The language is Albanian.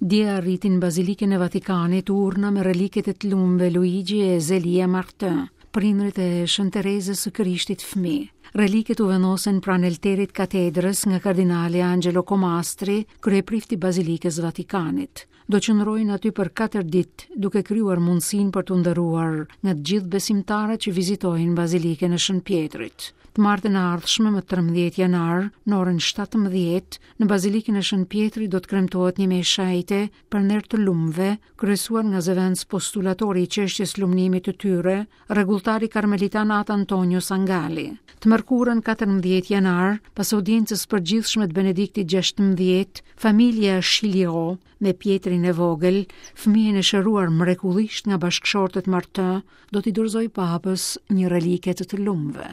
Dje arriti në Bazilikën e Vatikanit urna me reliket e të lumëve Luigi e Zelia Martin, prindërit e Shën Terezës së Krishtit fëmijë. Reliket u vendosen pranë elterit katedrës nga kardinali Angelo Comastri, kryeprift i Bazilikës Vatikanit. Do qëndrojnë aty për 4 ditë, duke krijuar mundësinë për t'u nderuar nga të gjithë besimtarët që vizitojnë Bazilikën e Shën Pjetrit. Të martën e ardhshme më 13 janar, në orën 17, Në Bazilikën e Shën Pjetrit do të kremtohet një meshë shenjte për nder të lumëve, kryesuar nga zëvendës postulatori i çështjes lumnimit të tyre, rregulltari karmelitan At Antonio Sangalli. Të mërkurën 14 janar, pas audiencës së përgjithshme të Benediktit 16, familja Schillirò me Pjetrin e vogël, fëmijën e shëruar mrekullisht nga bashkëshortët Martin, do t'i dorëzojë papës një relike të të lumëve.